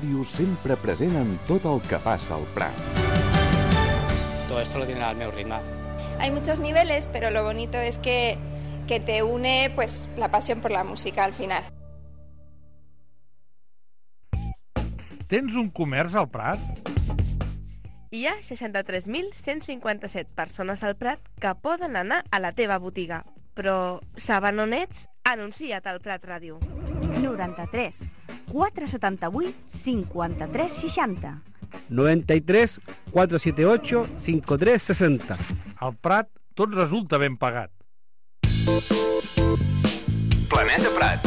Ràdio sempre present en tot el que passa al Prat. Todo esto lo tiene al meu ritme. Hay muchos niveles, pero lo bonito es que te une pues la pasión por la música al final. Tens un comerç al Prat? Hi ha 63.157 persones al Prat que poden anar a la teva botiga. Però saben on ets? Anuncia't al Prat Ràdio. 93 478 53 60. 93 478 53 60. Al Prat tot resulta ben pagat. Planeta Prat.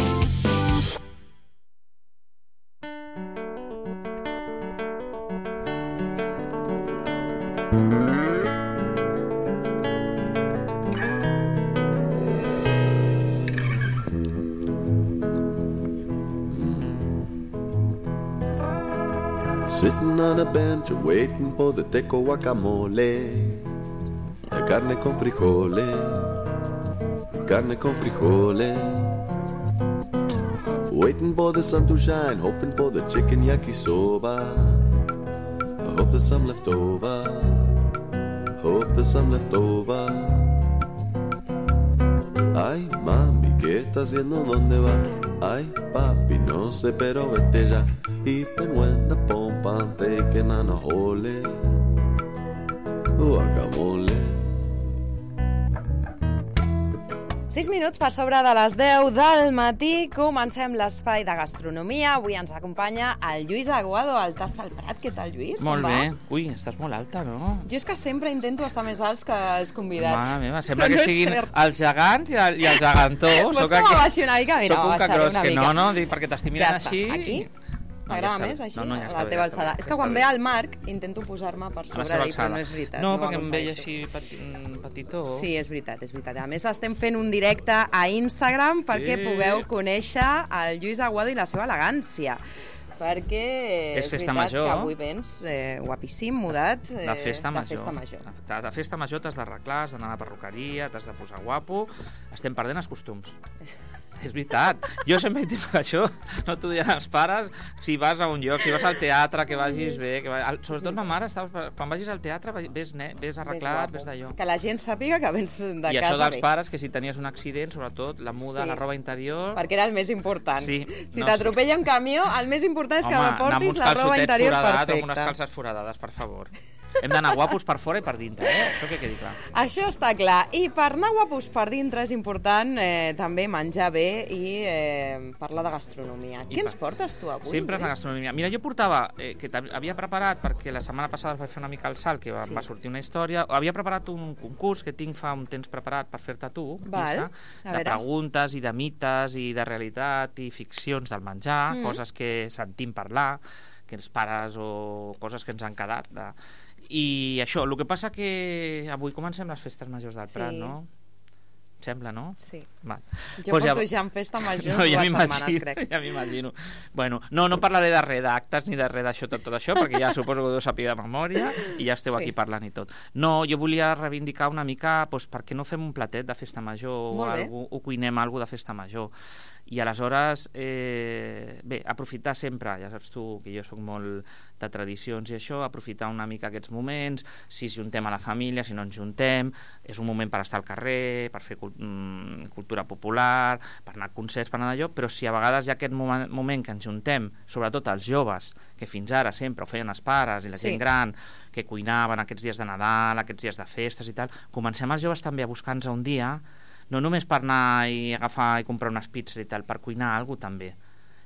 Sitting on a bench waiting for the teco guacamole, carne con frijoles, carne con frijoles. Waiting for the sun to shine, hoping for the chicken yakisoba. I hope there's some left over, hope there's some left over. Ay, mami, ¿qué está haciendo? ¿Dónde va? Ay, papi, no sé, pero vete ya. Y penuenda pompa, taking on a hole, guacamole. 6 minuts per sobre de les 10 del matí. Comencem l'espai de gastronomia. Avui ens acompanya el Lluís Aguado, al Tast del Prat. Què tal, Lluís? Molt bé. Ui, estàs molt alta, no? Jo és que sempre intento estar més alts que els convidats. Mare meva, sembla que siguin els gegants i els gegantors. Vols que m'abaixi una mica? Mira, soc un m'abaixaré una mica. No, perquè t'estic mirant així. Aquí? T'agrada més així? No, ja a la teva alçada. És que quan ve el Marc intento posar-me per sobre d'ell, però no és veritat. No, perquè em veia així petitó. Sí, és veritat. A més, estem fent un directe a Instagram perquè pugueu conèixer el Lluís Aguado i la seva elegància. Perquè és festa veritat major, que avui vens guapíssim, mudat, de festa major. De festa major t'has d'arreglar, has d'anar a la perruqueria, t'has de posar guapo. Estem perdent els costums. És veritat, jo sempre he dit això, no t'ho diran els pares, si vas a un lloc, si vas al teatre, que vagis bé, sobretot ma mare, quan vagis al teatre ves arreglat, ves d'allò. Que la gent sàpiga que vens de casa bé. I això dels pares, que si tenies un accident, sobretot la muda, la roba interior... Perquè era el més important. Si t'atropella un camió, el més important és que portis la roba interior perfecta. Amb unes calces foradades, per favor. Hem d'anar guapos per fora i per dintre, això que quedi clar. Això està clar. I per anar guapos per dintre és important també menjar bé i parlar de gastronomia. Què ens portes tu avui? Sempre la gastronomia. Mira, jo portava, que havia preparat, perquè la setmana passada vaig fer una mica el salt, que va sortir una història, havia preparat un concurs que tinc fa un temps preparat per fer-te tu, Lisa, de preguntes i de mites i de realitat i ficcions del menjar, coses que sentim parlar, que els pares o coses que ens han quedat i això, el que passa que avui comencem les festes majors del Prat, no? Et sembla, no? Sí. Va. Jo porto ja en festa major 2 setmanes, crec. Ja m'imagino. Bueno, no parlaré de res d'actes ni de res d'això, tot això, perquè ja suposo que ho deu saber de memòria i ja esteu aquí parlant i tot. No, jo volia reivindicar una mica, per què no fem un platet de festa major o cuinem alguna de festa major. I aleshores, bé, aprofitar sempre, ja saps tu que jo soc molt de tradicions i això, aprofitar una mica aquests moments, si ens juntem a la família, si no ens juntem, és un moment per estar al carrer, per fer cultura popular, per anar a concerts, per anar d'allò, però si a vegades hi ha aquest moment que ens juntem, sobretot els joves, que fins ara sempre ho feien els pares i la gent gran, que cuinaven aquests dies de Nadal, aquests dies de festes i tal, comencem els joves també a buscar-nos un dia, no només per anar i agafar i comprar unes pizzas i tal, per cuinar alguna cosa també.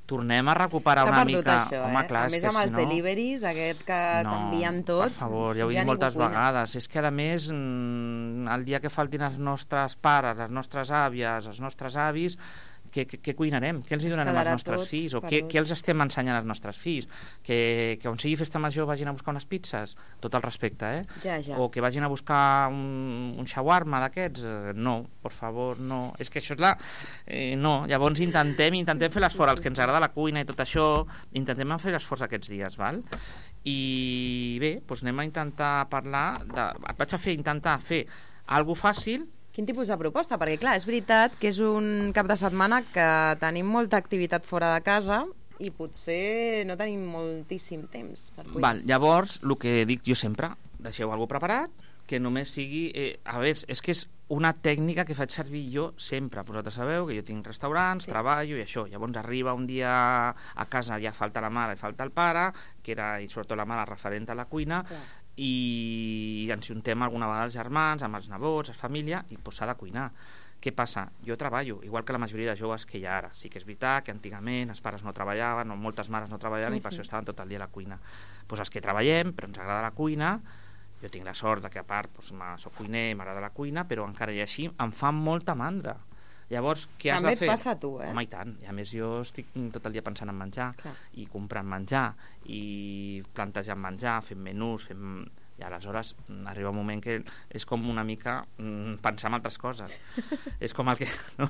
Tornem a recuperar una mica... Això, home, clar, a més amb els deliveries, aquest que t'envien tot... Per favor, ja ho he dit moltes vegades. És que, a més, el dia que faltin els nostres pares, les nostres àvies, els nostres avis, què cuinarem? Què els donarem als nostres fills? O què els estem ensenyant als nostres fills? Que on sigui festa major vagin a buscar unes pizzas? Tot el respecte, Ja. O que vagin a buscar un shawarma d'aquests? No, per favor, no. És que això és la... No, llavors intentem fer l'esforç. Els que ens agrada la cuina i tot això, intentem fer l'esforç aquests dies, val? I bé, doncs anem a intentar parlar et vaig intentar fer alguna fàcil. Quin tipus de proposta? Perquè, clar, és veritat que és un cap de setmana que tenim molta activitat fora de casa i potser no tenim moltíssim temps per cuinar. Val, llavors, el que dic jo sempre, deixeu alguna preparat, que només sigui... a veure, és que és una tècnica que faig servir jo sempre. Vosaltres sabeu que jo tinc restaurants, treballo i això. Llavors arriba un dia a casa, ja falta la mare i falta el pare, que era, i sobretot la mare, referent a la cuina, i ens juntem alguna vegada els germans, amb els nebots, la família, i s'ha de cuinar. Què passa? Jo treballo, igual que la majoria de joves que hi ha ara. Sí que és veritat que antigament els pares no treballaven, o moltes mares no treballaven, i per això estaven tot el dia a la cuina. Doncs els que treballem, però ens agrada la cuina, jo tinc la sort de que a part soc cuiner, m'agrada la cuina, però encara i així em fa molta mandra. Llavors, què has de fer? També et passa a tu, Home, i tant. I a més jo estic tot el dia pensant en menjar, i comprant menjar, i plantejant menjar, fent menús, i aleshores arriba un moment que és com una mica pensar en altres coses. És com el que... No?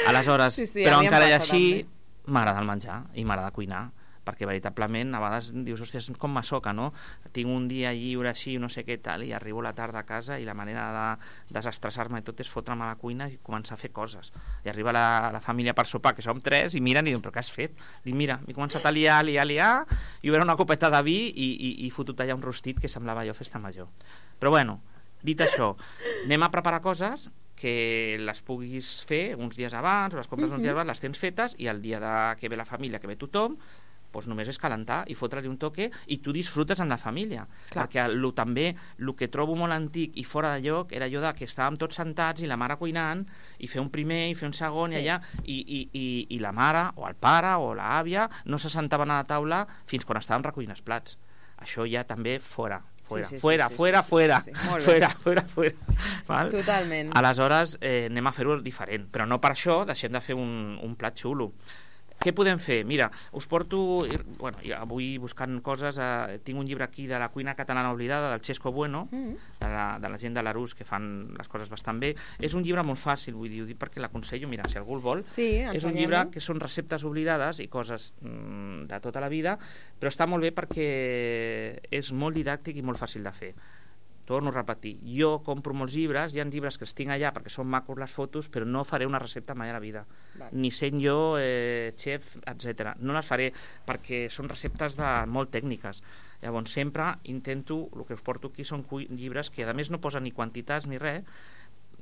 Aleshores, però encara i així m'agrada el menjar i m'agrada cuinar, perquè veritablement a vegades dius, hòstia, és com masoca, no? Tinc un dia lliure així, no sé què tal, i arribo a la tarda a casa i la manera de desestressar-me i tot és fotre'm a la cuina i començar a fer coses. I arriba la família per sopar, que som 3, i miren i diuen, però què has fet? Dic, mira, m'he començat a liar, i ho era una copeta de vi i fotut allà un rostit que semblava jo festa major. Però bueno, dit això, anem a preparar coses que les puguis fer uns dies abans, o les compres uns dies abans, les tens fetes, i el dia que ve la família, que ve tothom, doncs només és calentar i fotre-li un toque i tu disfrutes amb la família. Perquè també el que trobo molt antic i fora de lloc era allò que estàvem tots sentats i la mare cuinant i fer un primer i fer un segon i allà i la mare o el pare o l'àvia no se sentaven a la taula fins quan estàvem recollint els plats. Això ja també fora. Fuera. Totalment. Aleshores anem a fer-ho diferent, però no per això deixem de fer un plat xulo. Què podem fer? Mira, us porto... Bueno, avui buscant coses, tinc un llibre aquí de la cuina catalana oblidada, del Xesco Bueno, de la gent de l'Arús, que fan les coses bastant bé. És un llibre molt fàcil, vull dir, ho dic perquè l'aconsello, mira, si algú el vol. És un llibre que són receptes oblidades i coses de tota la vida, però està molt bé perquè és molt didàctic i molt fàcil de fer. Torno a repetir, jo compro molts llibres, hi ha llibres que els tinc allà perquè són macos les fotos, però no faré una recepta mai a la vida. Ni sent jo xef, etc. No les faré perquè són receptes molt tècniques. Llavors sempre intento, el que us porto aquí són llibres que a més no posen ni quantitats ni res,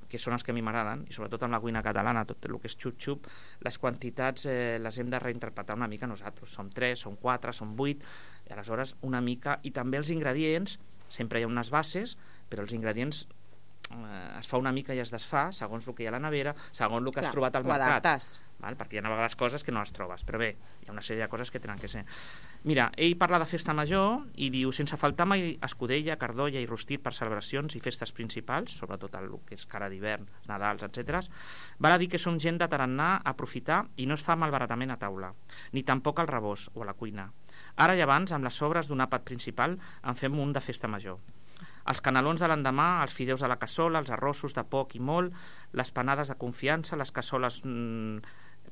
que són els que a mi m'agraden, i sobretot amb la cuina catalana, tot el que és xup-xup, les quantitats les hem de reinterpretar una mica nosaltres. Som 3, som 4, som 8, i aleshores una mica... I també els ingredients, sempre hi ha unes bases, però els ingredients es fa una mica i es desfà segons el que hi ha a la nevera, segons el que has trobat al mercat. Perquè hi ha a vegades coses que no les trobes, però bé, hi ha una sèrie de coses que tenen que ser. Mira, ell parla de festa major i diu, sense faltar mai escudella, cardolla i rostit per celebracions i festes principals, sobretot el que és cara d'hivern, Nadals, etc. Val a dir que som gent de tarannà, aprofitar, i no es fa malbaratament a taula, ni tampoc al rebost o a la cuina. Ara i abans, amb les sobres d'un àpat principal, en fem un de festa major. Els canelons de l'endemà, els fideus a la cassola, els arrossos de poc i molt, les panades de confiança, les cassoles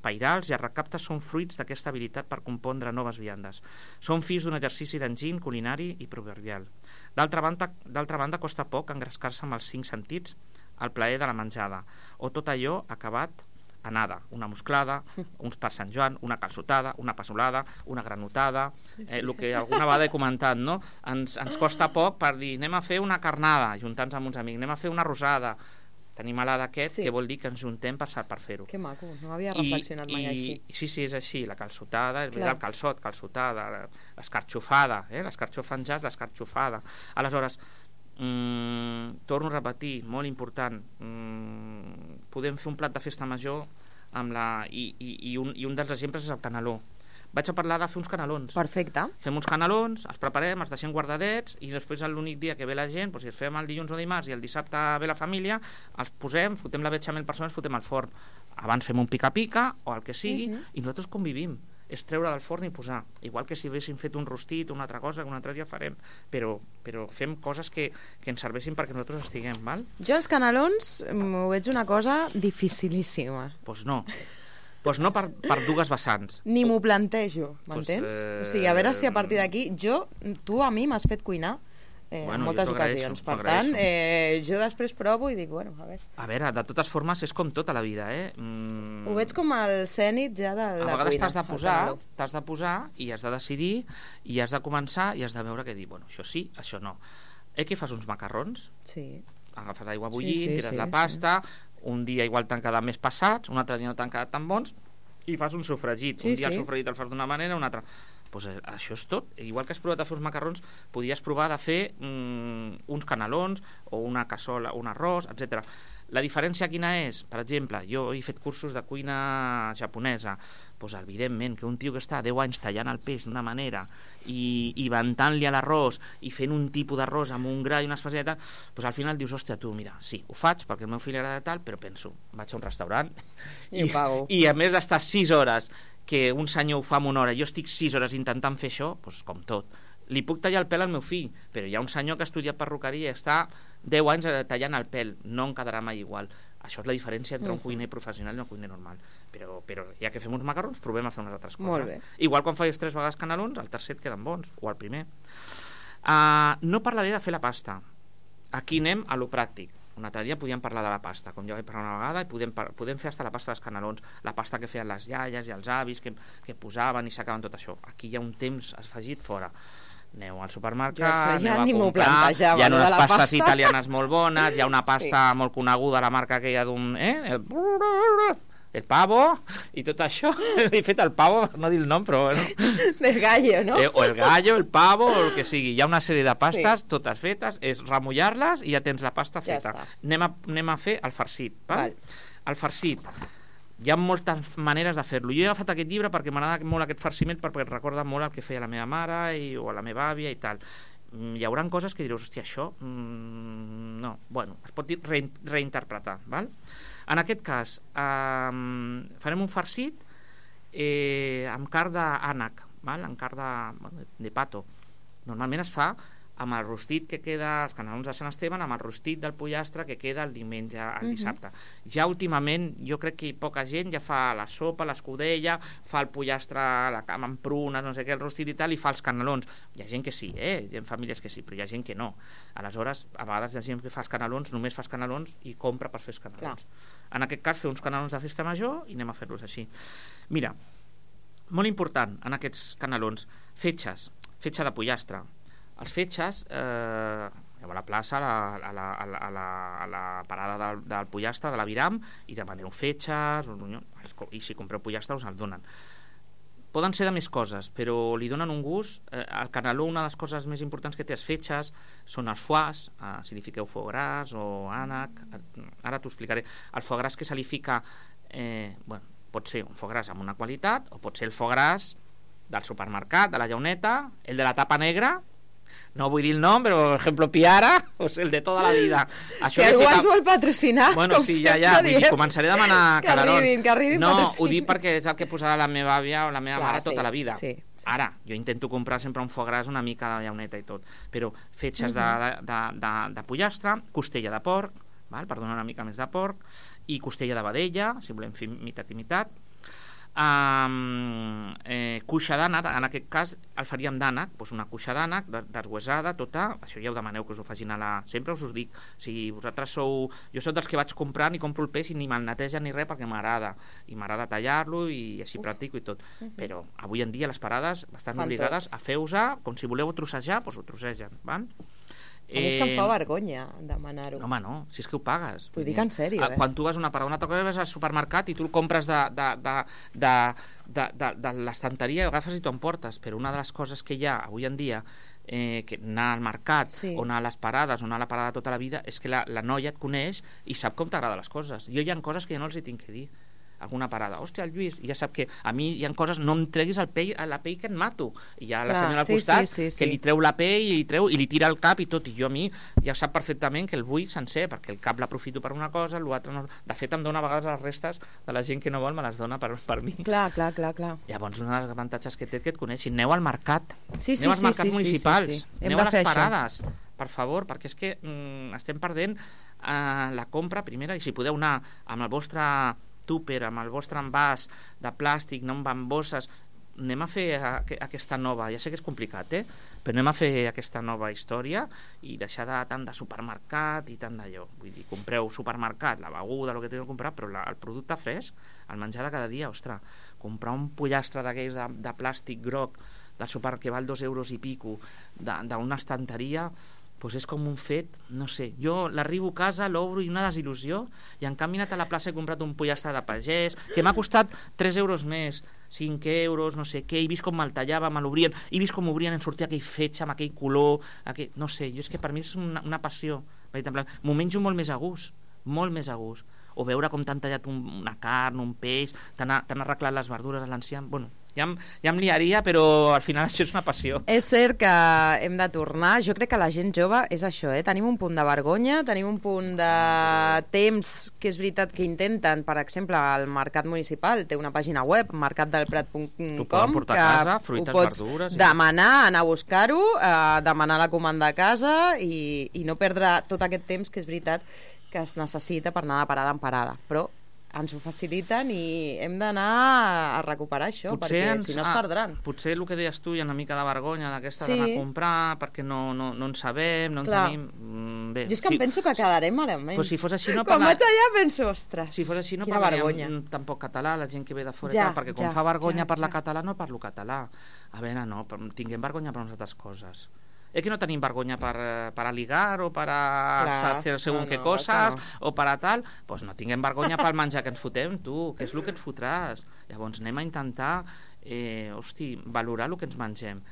pairals i els recaptes són fruits d'aquesta habilitat per compondre noves viandes. Són fills d'un exercici d'enginy culinari i proverbial. D'altra banda, costa poc engrescar-se amb els 5 sentits al plaer de la menjada, o tot allò acabat a nada, una musclada, uns per Sant Joan, una calçotada, una passolada, una granotada, el que alguna vegada he comentat, no? Ens costa poc per dir, anem a fer una carnada, juntant-nos amb uns amics, anem a fer una rosada. Tenim a l'Ada aquest, que vol dir que ens juntem per fer-ho. Que maco, no havia reflexionat mai així. Sí, és així, la calçotada, és veritat, el calçot, calçotada, l'escarxofada, l'escarxofanjat, l'escarxofada. Aleshores, torno a repetir, molt important, podem fer un plat de festa major i un dels exemples és el caneló. Vaig a parlar de fer uns canelons. Perfecte. Fem uns canelons, els preparem, els deixem guardadets i després l'únic dia que ve la gent, si els fem el dilluns o dimarts i el dissabte ve la família, els posem, fotem la betxamel per sobre, els fotem al forn. Abans fem un pica-pica o el que sigui i nosaltres convivim. És treure del forn i posar. Igual que si haguéssim fet un rostit o una altra cosa que un altre dia farem, però fem coses que ens serveixin perquè nosaltres estiguem, val? Jo els canelons m'ho veig una cosa dificilíssima. Doncs no. Doncs no per dues vessants. Ni m'ho plantejo, m'entens? O sigui, a veure si a partir d'aquí tu a mi m'has fet cuinar en moltes ocasions. Per tant, jo després provo i dic, bueno, a veure. A veure, de totes formes, és com tota la vida, Ho veig com el cènit ja de la cuina. A vegades t'has de posar i has de decidir i has de començar i has de veure què dir, bueno, això sí, això no. Que fas uns macarrons? Sí. Agafes aigua bullint, tires la pasta, un dia igual t'han quedat més passats, un altre dia no t'han quedat tan bons, i fas un sofregit. Un dia el sofregit el fas d'una manera, un altre... Pues això és tot. Igual que has provat de fer uns macarrons, podries provar de fer uns canelons o una cassola, un arròs, etc. La diferència quina és? Per exemple, jo he fet cursos de cuina japonesa. Pues, evidentment, que un tio que està 10 anys tallant el peix d'una manera i ventant-li a l'arròs i fent un tipus d'arròs amb un gra i una especialitat, pues, al final dius, hòstia, tu, mira, sí, ho faig perquè el meu fill agrada tal, però penso, vaig a un restaurant i ho pago. I a més d'estar 6 hores que un senyor ho fa en una hora, jo estic 6 hores intentant fer això, doncs com tot. Li puc tallar el pèl al meu fill, però hi ha un senyor que ha estudiat perruqueria i està 10 anys tallant el pèl, no em quedarà mai igual. Això és la diferència entre un cuiner professional i un cuiner normal. Però ja que fem uns macarrons, provem a fer unes altres coses. Molt bé. Igual quan fas 3 vegades canelons, al tercer et queden bons, o al primer. No parlaré de fer la pasta. Aquí anem a lo pràctic. Un altre dia podíem parlar de la pasta, com ja vaig parlar una vegada, i podem fer hasta la pasta dels canelons, la pasta que feien les iaies i els avis que posaven i sacaven tot això. Aquí hi ha un temps afegit fora. Aneu al supermercat, aneu a comprar, hi ha unes pastes italianes molt bones, hi ha una pasta molt coneguda, la marca aquella d'un... el pavo, i tot això. He fet el pavo, no dir el nom, però bueno. Del gallo, no? O el gallo, el pavo, o el que sigui. Hi ha una sèrie de pastes, totes fetes, és remullar-les i ja tens la pasta feta. Anem a fer el farcit. Val? El farcit. Hi ha moltes maneres de fer-lo. Jo he agafat aquest llibre perquè m'agrada molt aquest farciment, perquè recorda molt el que feia la meva mare o la meva àvia i tal. Hi haurà coses que direu, hòstia, això... no, bueno, es pot dir reinterpretar, val? En aquest cas, farem un farcit amb carn d'ànec, amb carn de pato. Normalment es fa amb el rostit que queda, els canelons de Sant Esteban, amb el rostit del pollastre que queda el diumenge, el dissabte. Ja últimament, jo crec que poca gent ja fa la sopa, l'escudella, fa el pollastre amb prunes, no sé què, el rostit i tal, i fa els canelons. Hi ha gent que sí, hi ha famílies que sí, però hi ha gent que no. Aleshores, a vegades hi ha gent que fa els canelons, només fa els canelons i compra per fer els canelons. En aquest cas, fer uns canelons de festa major i anem a fer-los així. Mira, molt important en aquests canelons, fetge de pollastre. Els fetges, a la plaça, a la parada del pollastre, de l'aviram, i demaneu fetges, i si compreu pollastre us el donen. Poden ser de més coses, però li donen un gust. El caneló, una de les coses més importants que té els fetges són els foies, si li fiqueu foie gras o ànec, ara t'ho explicaré. El foie gras que se li fica, pot ser un foie gras amb una qualitat, o pot ser el foie gras del supermercat, de la llauneta, el de la tapa negra, no vull dir el nom, però per exemple Piara, o sigui, el de tota la vida. Si algú ens vol patrocinar, bueno, com sí, sempre vull dir, començaré a demanar calarons. Que arribin no, patrocines. Ho dic perquè és el que posarà la meva àvia o la meva mare tota la vida. Sí. Ara, jo intento comprar sempre un foie gras una mica de llauneta i tot, però fetges de pollastre, costella de porc, per donar una mica més de porc, i costella de vedella, si volem fer mitat i mitat, cuixa d'ànec, en aquest cas el faríem d'ànec, doncs una cuixa d'ànec deshuesada, tota, això ja ho demaneu que us ho facin sempre us dic, si vosaltres jo soc dels que vaig comprant i compro el peix i ni me'l neteja ni res perquè m'agrada, i m'agrada tallar-lo i així practico i tot, però avui en dia les parades estan obligades a fer-ho-se, com si voleu trossejar, doncs ho trossegen, van? A més que em fa vergonya demanar-ho. No, home, no, si és que ho pagues. T'ho dic en sèrio, Quan tu vas a una parada, una altra cosa vas al supermercat i tu el compres de l'estanteria i agafes i t'ho emportes, però una de les coses que hi ha avui en dia, que anar al mercat o anar a les parades o anar a la parada tota la vida, és que la noia et coneix i sap com t'agrada les coses. Jo hi ha coses que ja no els hi tinc que dir. Alguna parada, hòstia, el Lluís, ja sap que a mi hi ha coses, no em treguis la pell que et mato, i hi ha la senyora al costat que li treu la pell i li tira el cap i tot, i jo a mi ja sap perfectament que el vull sencer, perquè el cap l'aprofito per una cosa, l'altre no. De fet em dona a vegades les restes de la gent que no vol, me les dona per mi. Clar. Llavors un dels avantatges que té que et coneixin, aneu al mercat, aneu als mercats municipals, aneu a les parades, per favor, perquè és que estem perdent la compra primera, i si podeu anar amb el vostre tupper, amb el vostre envàs de plàstic, no amb bosses, anem a fer aquesta nova, ja sé que és complicat, però anem a fer aquesta nova història i deixar tant de supermercat i tant d'allò. Vull dir, compreu supermercat, la beguda, el que teniu que comprar, però el producte fresc, el menjar de cada dia, ostres, comprar un pollastre d'aquells de plàstic groc del súper que val 2 euros i pico d'una estanteria, doncs és com un fet, no sé, jo l'arribo a casa, l'obro i una desil·lusió, i en canvi he anat a la plaça i he comprat un pollastre de pagès, que m'ha costat 3 euros més, 5 euros, no sé què, he vist com me'l tallava, me l'obrien, he vist com obrien, en sortia aquell fetge amb aquell color, no sé, jo és que per mi és una passió, m'ho menjo molt més a gust, o veure com t'han tallat una carn, un peix, t'han arreglat les verdures a l'enciam, bueno, ja em liaria, però al final això és una passió. És cert que hem de tornar. Jo crec que la gent jove és això, tenim un punt de vergonya, tenim un punt de temps, que és veritat que intenten, per exemple, el Mercat Municipal té una pàgina web, mercatdelprat.com, portar a casa, fruites, verdures, demanar, anar a buscar-ho, demanar la comanda a casa i no perdre tot aquest temps que és veritat que es necessita per anar de parada en parada, però ens ho faciliten i hem d'anar a recuperar això, perquè si no es perdran. Potser el que deies tu hi ha una mica de vergonya d'aquesta d'anar a comprar, perquè no en sabem, no en tenim... Bé, jo és que em penso que quedarem malament. Pues si fos així, quan vaig allà penso, ostres, si fos així, no parlaríem tampoc català, la gent que ve de fora, perquè com fa vergonya parlar català, no parlo català. A veure, no, tinguem vergonya per unes altres coses. Es que no tenim vergonya para ligar o para hacer según qué cosas o para tal, pues no tinguem vergonya pel menjar que ens fotem, tu, que és el que ens fotràs. Llavors anem a intentar valorar el que ens mengem.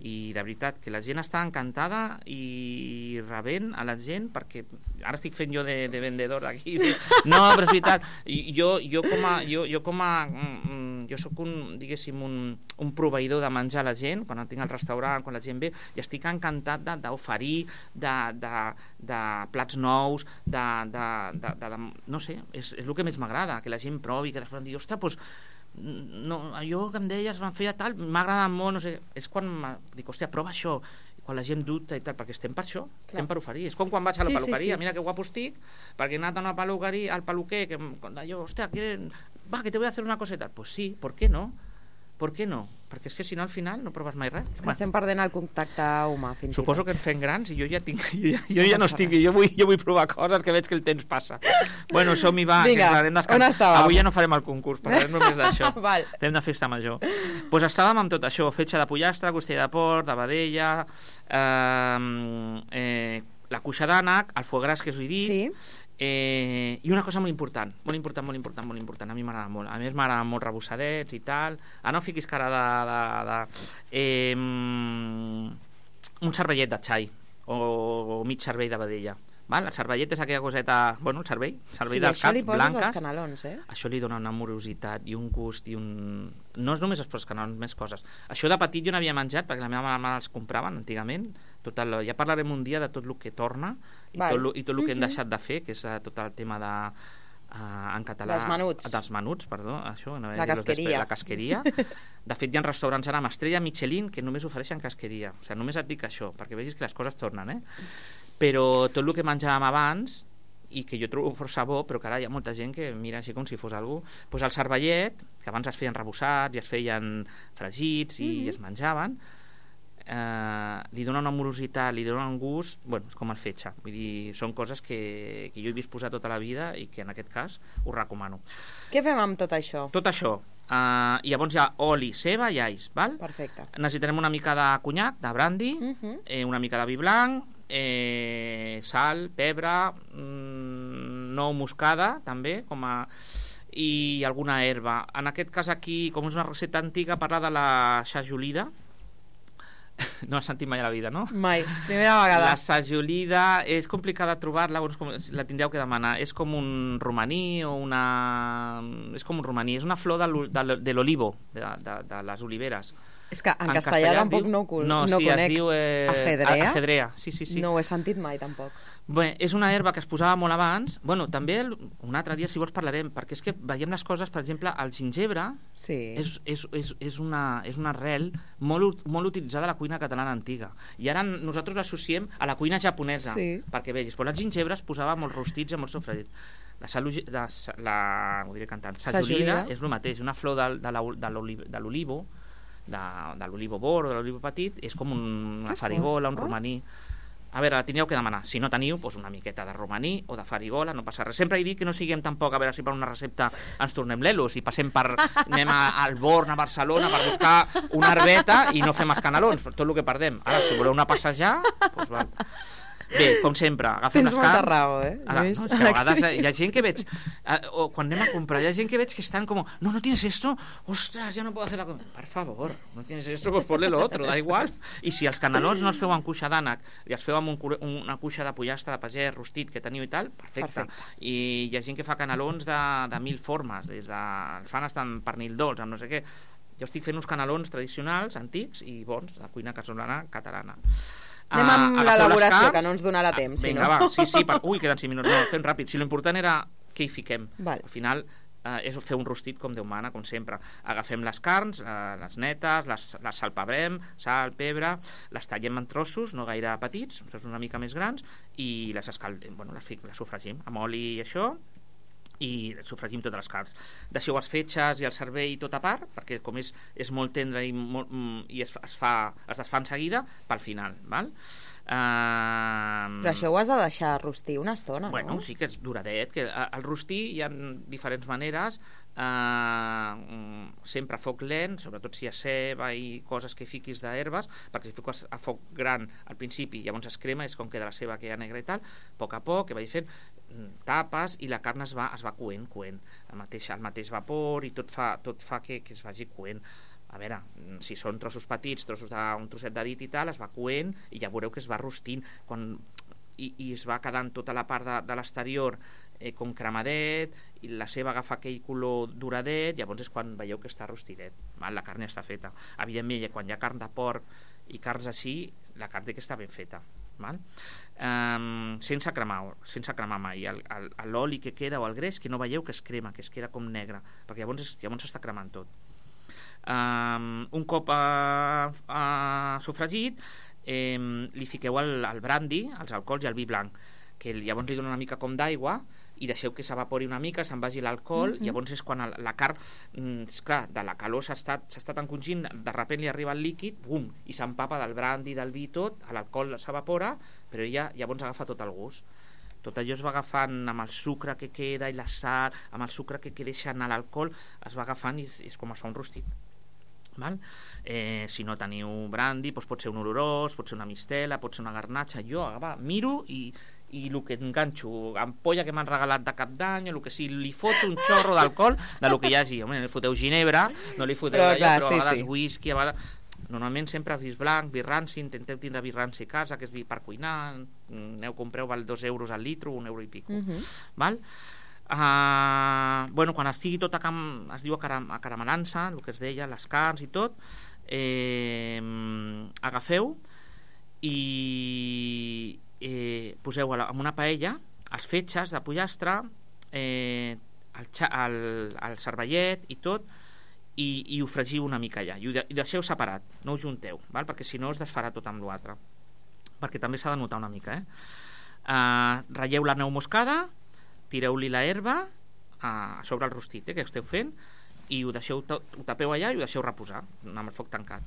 I de veritat que la gent està encantada i rebent a la gent, perquè ara estic fent jo de vendedor aquí. No, però és veritat, jo soc un proveïdor de menjar a la gent, quan tinc al restaurant, quan la gent ve, i estic encantat d'oferir de plats nous, no sé, és el que més m'agrada, que la gent provi, que després em digui, ostres, doncs no, allò que em deies van fer tal, m'ha agradat molt, no sé, és quan dic, hòstia, prova això, quan la gent dubta i tal, perquè estem per això, estem per oferir. És com quan vaig a la peluqueria, mira que guapo estic, perquè he anat a una peluqueria, al peluquer, que allò, hòstia, que te voy a hacer una coseta. Pues sí, ¿por qué no? ¿Por qué no? Perquè és que si no al final no proves mai res. És que estem perdent el contacte humà fins i tot. Suposo que ens fem grans i jo ja no estic, jo vull provar coses que veig que el temps passa. Bueno, som-hi, va, vinga, que parlarem on estàvem? Avui ja no farem el concurs, parlarem només d'això. Val. Estem de festa major. Doncs estàvem amb tot això, fetge de pollastre, costella de porc, de vedella, la cuixa d'ànec, el foie gras que us he dit, sí. I una cosa molt important, a mi m'agrada molt, a més m'agrada molt rebossadets i tal, no fiquis cara un cervellet de xai o mig cervell de vedella. El cervellet és aquella coseta, bueno, el cervell dels caps, blanques. Els canelons, Això li dona una morositat i un gust i un... No és només els canelons, més coses. Això de petit jo n'havia menjat, perquè la meva mare els compraven antigament. Ja parlarem un dia de tot el que torna i tot el que hem deixat de fer, que és tot el tema de... en català... Dels menuts, perdó. Això, la casqueria. La casqueria. De fet, hi ha restaurants ara amb estrella Michelin que només ofereixen casqueria. O sigui, només et dic això, perquè vegis que les coses tornen, Però tot el que menjàvem abans, i que jo trobo força bo, però que ara hi ha molta gent que mira així com si fos algú, doncs el cervellet, que abans es feien rebossats i es feien fregits i es menjaven, li dona una morositat, li dona un gust, bueno, és com el fetge, vull dir, són coses que jo he vist posar tota la vida i que en aquest cas us recomano. Què fem amb tot això? Tot això, i llavors hi ha oli, ceba i alls, val? Perfecte. Necessitarem una mica de conyac, de brandy, una mica de vi blanc, sal, pebre, nou moscada també, i alguna herba. En aquest cas aquí, com és una recepta antiga, parla de la sajolida. No has sentit mai a la vida, no? Mai, primera vegada. La sajolida és complicada trobar-la, la tindreu que demanar. És com un romaní o una... És com un romaní, és una flor de l'olivo, de les oliveres. És que en castellà tampoc no conec. No, sí, es diu... Afedrea? Sí. No ho he sentit mai, tampoc. Bé, és una herba que es posava molt abans. Bueno, també un altre dia, si vols, parlarem, perquè és que veiem les coses, per exemple, el gingebre és una arrel molt utilitzada a la cuina catalana antiga. I ara nosaltres l'associem a la cuina japonesa, perquè vegis, però el gingebre es posava molt rostits i molt sofregit. Ho diré cantant. Sajolida és el mateix, una flor de l'olivo, de l'olivo bord o de l'olivo petit, és com una farigola, un romaní. A veure, la teniu que demanar. Si no teniu, doncs una miqueta de romaní o de farigola, no passa res. Sempre he dit que no siguem tampoc, a veure si per una recepta ens tornem lelos i passem anem al Born, a Barcelona, per buscar una herbeta i no fem els canelons, tot el que perdem. Ara, si voleu anar a passejar, doncs val. Bé, com sempre, agafem les carns... Tens molta raó, Ara, no, és que a vegades hi ha gent que veig... o quan anem a comprar, hi ha gent que veig que estan com... No tienes esto? Ostras, ya no puedo hacer la comida. Per favor, no tienes esto, pues ponle lo otro, da igual. I si els canelons no els feu amb cuixa d'ànec i els feu amb una cuixa de pollastre de pagès rostit que teniu i tal, perfecte. I hi ha gent que fa canelons de 1000 formes, des de... els fan estan pernil dolç, amb no sé què. Jo estic fent uns canelons tradicionals, antics i bons, de cuina casolana catalana. Anem amb l'elaboració, que no ens donarà temps. Vinga, va, sí, ui, queden 5 minuts. No, fem ràpid. Si l'important era què hi fiquem. Al final és fer un rostit com Déu mana, com sempre. Agafem les carns, les netes, les salpebrem, sal, pebre, les tallem en trossos, no gaire petits, una mica més grans, i les sofregim amb oli i això, i sofregim totes les carns. Deixeu els fetges i el cervell tot a part, perquè com és molt tendre i es desfà en seguida, pel final, val? Però això ho has de deixar rostir una estona, no? Sí que és duradet, que el rostir hi ha diferents maneres, sempre a foc lent, sobretot si hi ha ceba i coses que fiquis d'herbes, perquè si fiques a foc gran al principi, llavors es crema, és com queda la ceba que hi ha negra i tal, a poc que vagi fent, tapes i la carn es va coent, el mateix vapor, i tot fa que es vagi coent. A veure, si són trossos petits, un trosset de dit i tal, es va coent i ja veureu que es va rostint i es va quedant tota la part de l'exterior com cremadet, i la ceba agafa aquell color duradet, llavors és quan veieu que està rostidet, la carn ja està feta. Evidentment, quan hi ha carn de porc i carns així, la carn té que està ben feta, sense cremar mai l'oli que queda o el greix, que no veieu que es crema, que es queda com negre, perquè llavors s'està cremant tot. Un cop sofregit, li fiqueu el brandy, els alcohols i el vi blanc, que llavors li dona una mica com d'aigua i deixeu que s'evapori una mica, se'n vagi l'alcohol, llavors és quan la carn, esclar, de la calor s'està tan congint, de sobte li arriba el líquid, bum, i s'empapa del brandy, del vi, tot, l'alcohol s'evapora, però ella llavors agafa tot el gust. Tot allò es va agafant amb el sucre que queda i la sal, amb el sucre que deixa anar l'alcohol, es va agafant i és com es fa un rostit. Si no teniu brandy, doncs pot ser un olorós, pot ser una mistela, pot ser una garnatxa. Jo miro i el que enganxo, ampolla que m'han regalat de cap d'any, o el que sigui, li foto un xorro d'alcohol del que hi hagi. Home, li foteu ginebra, no li foteu allò, però a vegades whisky, a vegades... Normalment sempre vi blanc, vi ranci, intenteu tindre vi ranci a casa, que és vi per cuinar, compreu, val 2 euros al litro, 1 euro i pico. Val? Quan estigui tot es diu acaramelant-se, el que es deia, les carns i tot, agafeu i poseu en una paella els fetges de pollastre, el cervellet i tot, i ho fregiu una mica allà, i deixeu separat, no ho junteu, perquè si no es desfarà tot amb l'altre, perquè també s'ha de notar una mica. Ratlleu la neu moscada, tireu-li la herba a sobre el rostit que esteu fent, i ho tapeu allà i ho deixeu reposar amb el foc tancat.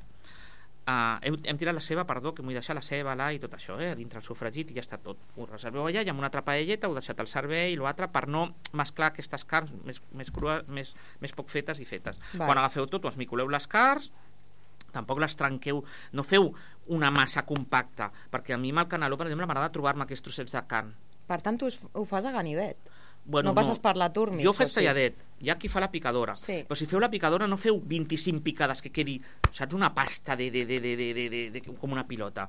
Hem tirat la ceba, que m'ho he deixat la ceba i tot això, dintre el sofregit, i ja està tot. Ho reserveu allà i amb una altra paelleta heu deixat el cervell i l'altre per no mesclar aquestes carns més crues, més poc fetes i fetes. Quan agafeu tot, ho esmicoleu les carns, tampoc les trenqueu, no feu una massa compacta, perquè a mi amb el caneló, per exemple, m'agrada trobar-me aquests trossets de carn. Per tant, tu ho fas a ganivet? No passes per la turmix? Jo ho faig talladet, hi ha qui fa la picadora, però si feu la picadora no feu 25 picades que quedi, saps, una pasta com una pilota,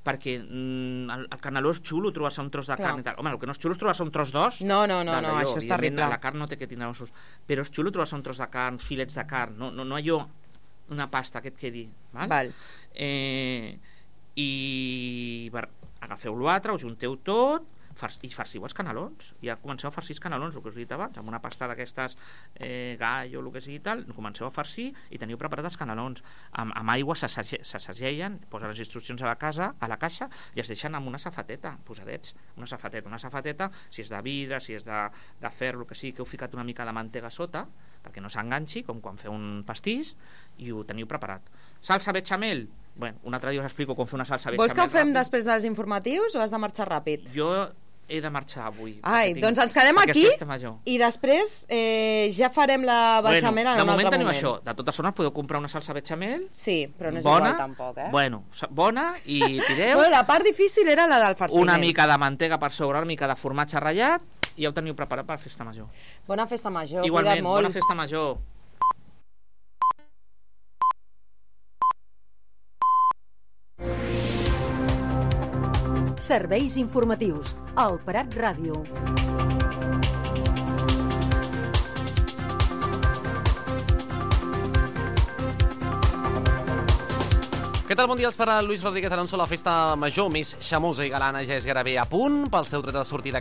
perquè el caneló és xulo trobar-se un tros de carn i tal. Home, el que no és xulo és trobar-se un tros d'os. No, això és terrible. La carn no té que tindre ossos, però és xulo trobar-se un tros de carn, filets de carn, no allò, una pasta que et quedi. Val? I agafeu l'altre, ho junteu tot i farciu els canelons. Ja comenceu a farcir els canelons, el que us he dit abans, amb una pasta d'aquestes gallo o el que sigui tal, comenceu a farcir i teniu preparat els canelons. Amb aigua se segellen, posa les instruccions a la caixa i es deixen amb una safateta, posadets, una safeteta, si és de vidre, si és de ferro, el que sigui, que heu ficat una mica de mantega sota, perquè no s'enganxi, com quan feu un pastís, i ho teniu preparat. Salsa bechamel? Bueno, un altre dia us explico com fer una salsa bechamel. Vols que ho fem ràpid? després dels informatius o has de marxar ràpid? Jo he de marxar avui. Ai, doncs ens quedem aquí i després ja farem la bechamel en un altre moment. De moment tenim això. De totes formes podeu comprar una salsa bechamel. Sí, però no és bona, igual tampoc, Bueno, bona, i tireu... Bueno, la part difícil era la del farciment. Una mica de mantega per sobre, una mica de formatge ratllat, i ja ho teniu preparat per festa major. Bona festa major, igualment, cuida't molt. Bona festa major. Serveis informatius al Prat Ràdio. Què tal? Bon dia, per a Lluís Rodríguez Alonso. La festa major més xamosa i galana ja és gairebé a punt pel seu tret de sortida